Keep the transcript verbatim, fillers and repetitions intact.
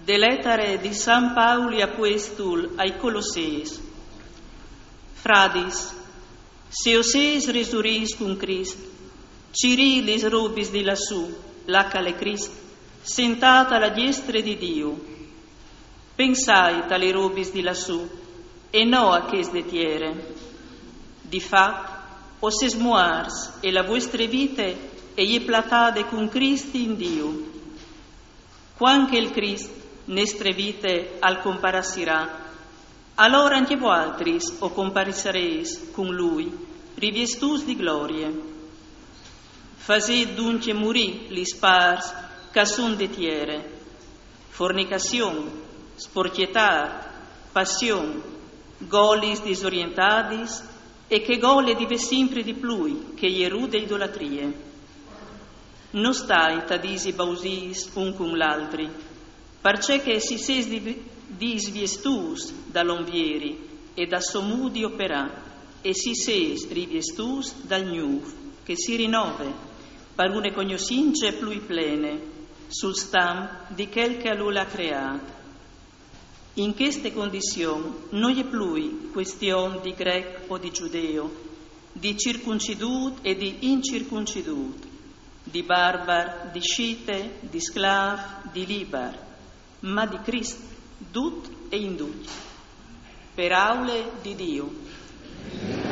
De letare di San Pauli apuestul ai Colosseis. Fradis, se o seis resurîts cun Crist, cirît lis robis di lassù, là ch'al è Crist, sentât a la diestre di Diu. Pensait a li robis di lassù, e no a chês de tiere. Di fat, o sês muarts e la vuestre vite e je platade cun Crist in Diu. Cuant che il Crist nestre vite al comparassirà, alore ancje vualtris o comparissareis cun lui, riviestûts di glorie. Fasêt duncje murî lis pârs ch'a son de tiere: fornicazion, sporcjetât, passion, golis disorientadis e chê gole di vê simpri di plui, che e je rude idolatrie. No stait a dîsi bausîs un cun l'altri, parcè che si sês di-, disviestûts dal om vieri e dal so mût di operâ, e si sês riviestûts dal gnûf, che si rinove par une cognossince plui plene sul stamp di chel che lu à creât. In cheste condizion no je plui cuestion di grec o di giudeo, di circuncidût e di incircuncidût, di barbar, di scite, di sclâf, di libar, ma di Crist, dut e in ducj. Peraule di Diu.